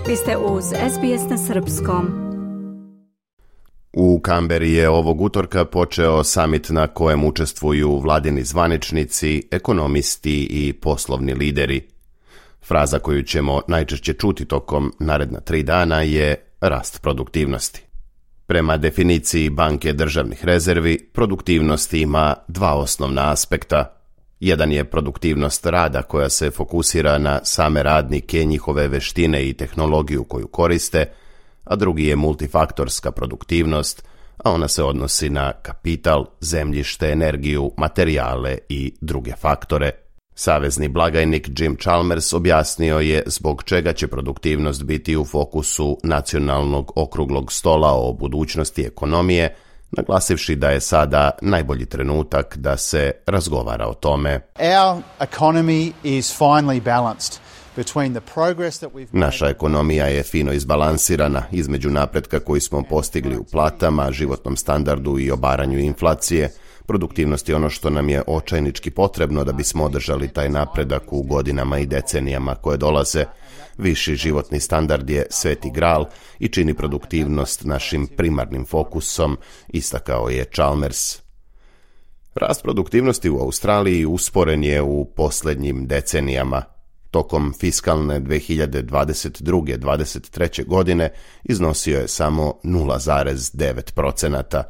Vi ste uz SBS na srpskom. U Kamberi je ovog utorka počeo samit na kojem učestvuju vladini zvaničnici, ekonomisti i poslovni lideri. Fraza koju ćemo najčešće čuti tokom naredna 3 dana je rast produktivnosti. Prema definiciji Banke državnih rezervi, produktivnost ima 2 osnovna aspekta. Jedan je produktivnost rada koja se fokusira na same radnike, njihove veštine i tehnologiju koju koriste, a drugi je multifaktorska produktivnost, a ona se odnosi na kapital, zemljište, energiju, materijale i druge faktore. Savezni blagajnik Jim Chalmers objasnio je zbog čega će produktivnost biti u fokusu nacionalnog okruglog stola o budućnosti ekonomije, naglasivši da je sada najbolji trenutak da se razgovara o tome. Naša ekonomija je fino izbalansirana između napretka koji smo postigli u platama, životnom standardu i obaranju inflacije. Produktivnost je ono što nam je očajnički potrebno da bismo održali taj napredak u godinama i decenijama koje dolaze. Viši životni standard je sveti gral i čini produktivnost našim primarnim fokusom, istakao je Chalmers. Rast produktivnosti u Australiji usporen je u posljednjim decenijama. Tokom fiskalne 2022-2023. godine iznosio je samo 0,9%.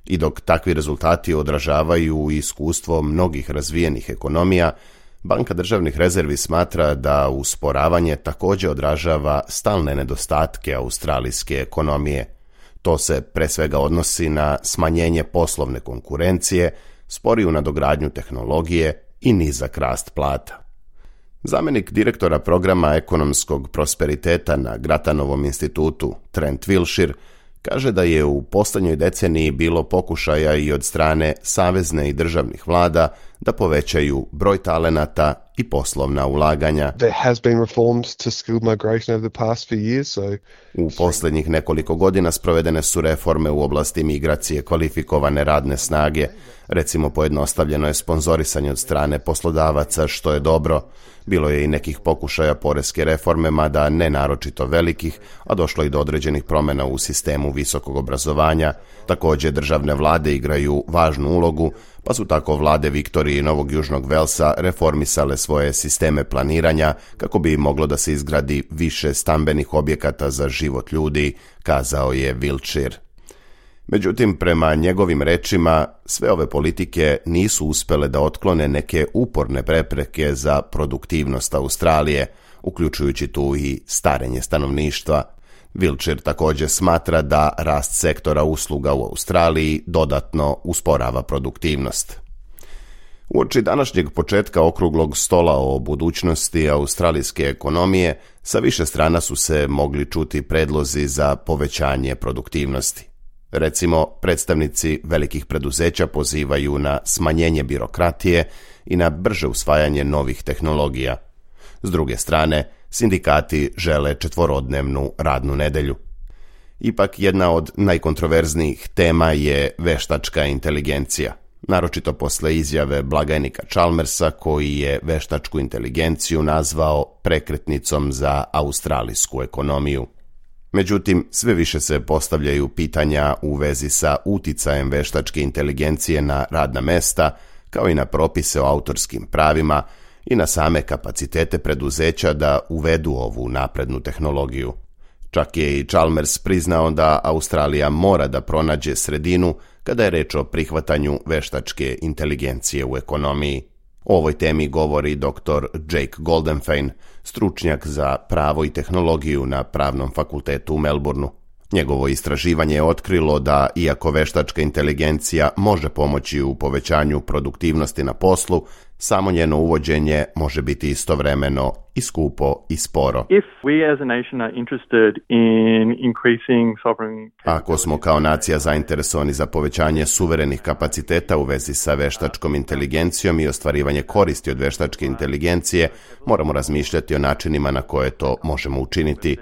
I dok takvi rezultati odražavaju iskustvo mnogih razvijenih ekonomija, Banka državnih rezervi smatra da usporavanje također odražava stalne nedostatke australijske ekonomije. To se pre svega odnosi na smanjenje poslovne konkurencije, sporiju nadogradnju tehnologije i nizak rast plata. Zamjenik direktora programa ekonomskog prosperiteta na Grattanovom institutu, Trent Wilshire, kaže da je u posljednjoj deceniji bilo pokušaja i od strane savezne i državnih vlada da povećaju broj talenata i poslovna ulaganja. U posljednjih nekoliko godina sprovedene su reforme u oblasti migracije kvalifikovane radne snage. Recimo, pojednostavljeno je sponzorisanje od strane poslodavaca, što je dobro. Bilo je i nekih pokušaja poreske reforme, mada ne naročito velikih, a došlo i do određenih promjena u sistemu visokog obrazovanja. Također, državne vlade igraju važnu ulogu, pa su tako vlade Viktorije i Novog Južnog Velsa reformisale svoje sisteme planiranja kako bi moglo da se izgradi više stambenih objekata za život ljudi, kazao je Wilshire. Međutim, prema njegovim rečima, sve ove politike nisu uspjele da otklone neke uporne prepreke za produktivnost Australije, uključujući tu i starenje stanovništva. Wilshire također smatra da rast sektora usluga u Australiji dodatno usporava produktivnost. Uoči današnjeg početka okruglog stola o budućnosti australijske ekonomije, sa više strana su se mogli čuti predlozi za povećanje produktivnosti. Recimo, predstavnici velikih preduzeća pozivaju na smanjenje birokratije i na brže usvajanje novih tehnologija. S druge strane, sindikati žele 4-dnevnu radnu nedjelju. Ipak jedna od najkontroverznijih tema je veštačka inteligencija, naročito posle izjave blagajnika Chalmersa koji je veštačku inteligenciju nazvao prekretnicom za australijsku ekonomiju. Međutim, sve više se postavljaju pitanja u vezi sa uticajem veštačke inteligencije na radna mesta, kao i na propise o autorskim pravima i na same kapacitete preduzeća da uvedu ovu naprednu tehnologiju. Čak je i Chalmers priznao da Australija mora da pronađe sredinu kada je reč o prihvatanju veštačke inteligencije u ekonomiji. O ovoj temi govori dr. Jake Goldenfein, stručnjak za pravo i tehnologiju na Pravnom fakultetu u Melbourneu. Njegovo istraživanje je otkrilo da, iako veštačka inteligencija može pomoći u povećanju produktivnosti na poslu, samo njeno uvođenje može biti istovremeno i skupo i sporo. Ako smo kao nacija zainteresovani za povećanje suverenih kapaciteta u vezi sa veštačkom inteligencijom i ostvarivanje koristi od veštačke inteligencije, moramo razmišljati o načinima na koje to možemo učiniti.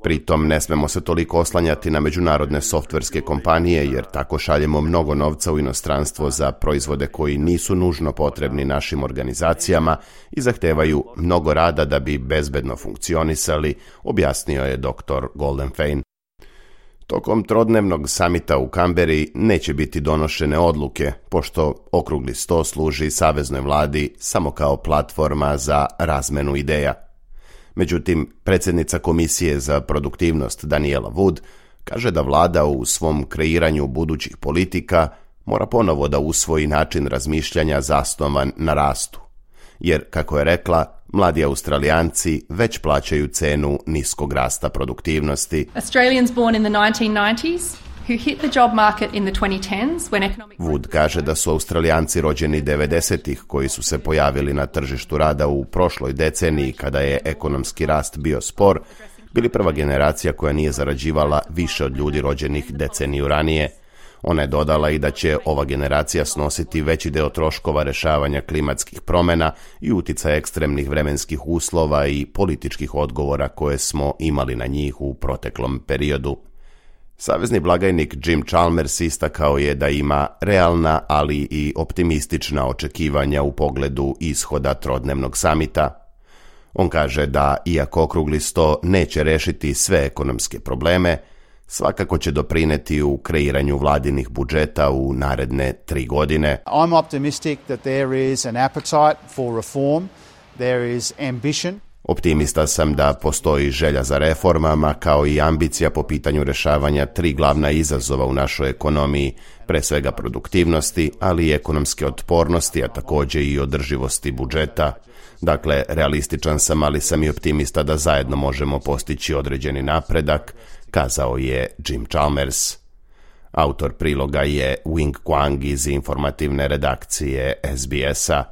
Pritom ne smemo se toliko oslanjati na međunarodne softverske kompanije jer tako šaljemo mnogo novca u inostranstvo za proizvode koji nisu nužno potrebni našim organizacijama i zahtevaju mnogo rada da bi bezbedno funkcionisali, objasnio je dr. Goldenfein. Tokom trodnevnog samita u Kamberi neće biti donošene odluke, pošto okrugli sto služi saveznoj vladi samo kao platforma za razmenu ideja. Međutim, predsjednica Komisije za produktivnost Daniela Wood kaže da vlada u svom kreiranju budućih politika mora ponovo da usvoji način razmišljanja zasnovan na rastu. Jer, kako je rekla, mladi Australijanci već plaćaju cenu niskog rasta produktivnosti. Australians born in the 1990s who hit the job market in the 2010s when economic... Wood kaže da su Australijanci rođeni 90-ih koji su se pojavili na tržištu rada u prošloj deceniji kada je ekonomski rast bio spor, bili prva generacija koja nije zarađivala više od ljudi rođenih deceniju ranije. Ona je dodala i da će ova generacija snositi veći deo troškova rješavanja klimatskih promjena i utjecaja ekstremnih vremenskih uslova i političkih odgovora koje smo imali na njih u proteklom periodu. Savezni blagajnik Jim Chalmers istakao je da ima realna, ali i optimistična očekivanja u pogledu ishoda trodnevnog samita. On kaže da, iako okrugli sto neće rešiti sve ekonomske probleme, svakako će doprineti u kreiranju vladinih budžeta u naredne 3 godine. I'm optimistic that there is an appetite for reform, there is ambition. Optimista sam da postoji želja za reformama kao i ambicija po pitanju rješavanja 3 glavna izazova u našoj ekonomiji, pre svega produktivnosti, ali i ekonomske otpornosti, a također i održivosti budžeta. Dakle, realističan sam, ali sam i optimista da zajedno možemo postići određeni napredak, kazao je Jim Chalmers. Autor priloga je Wing Kwang iz informativne redakcije SBS-a.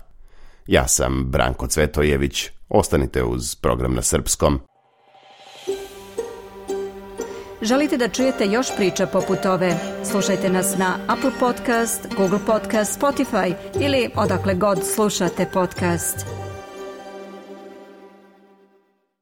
Ja sam Branko Cvetojević. Ostanite uz program na srpskom. Želite da čujete još priča poput ove? Slušajte nas na Apple Podcast, Google Podcast, Spotify ili odakle god slušate podcast.